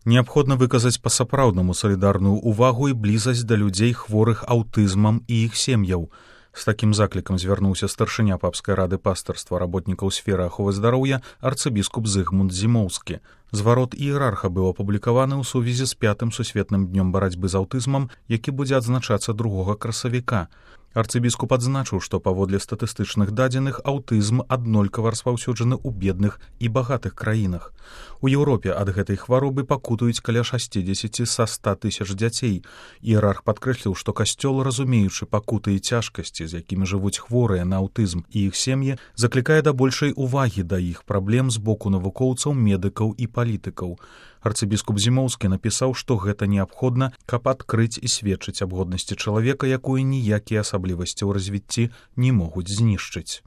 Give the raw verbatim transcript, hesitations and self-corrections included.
Неабходна выказаць па-сапраўднаму салідарную ўвагу і блізасць да людзей, хворых аўтызмам і іх сем'яў. З такім заклікам звярнуўся старшыня папскай рады пастырства работнікаў сферы аховы здароўя арцыбіскуп Зыгмунд Зімоўскі. Зварот іерарха быў апублікаваны ў сувязі з пятым сусветным днём барацьбы з аўтызмам, які будзе адзначацца другога красавіка. Арцыбіскуп адзначыў, што паводле статыстычных дадзеных аўтызм аднолькава распаўсюджаны ў бедных і багатых краінах. У Еўропе ад гэтай хваробы пакутуюць каля шасцідзесяці са ста тысяч дзяцей. Іерарх падкрэсліў, што касцёл, разумеючы пакуты і цяжкасці, з якімі жывуць хворыя на аўтызм і іх сем'і, заклікае да большай увагі да іх праблем з боку навукоўцаў, медыкаў і палітыкаў. Арцыбіскуп Зімоўскі напісаў, што гэта неабходна, каб адкрыць і сведчыць аб годнасці чалавека, якую ніякія асаблівасці ў развіцці не могуць знішчыць.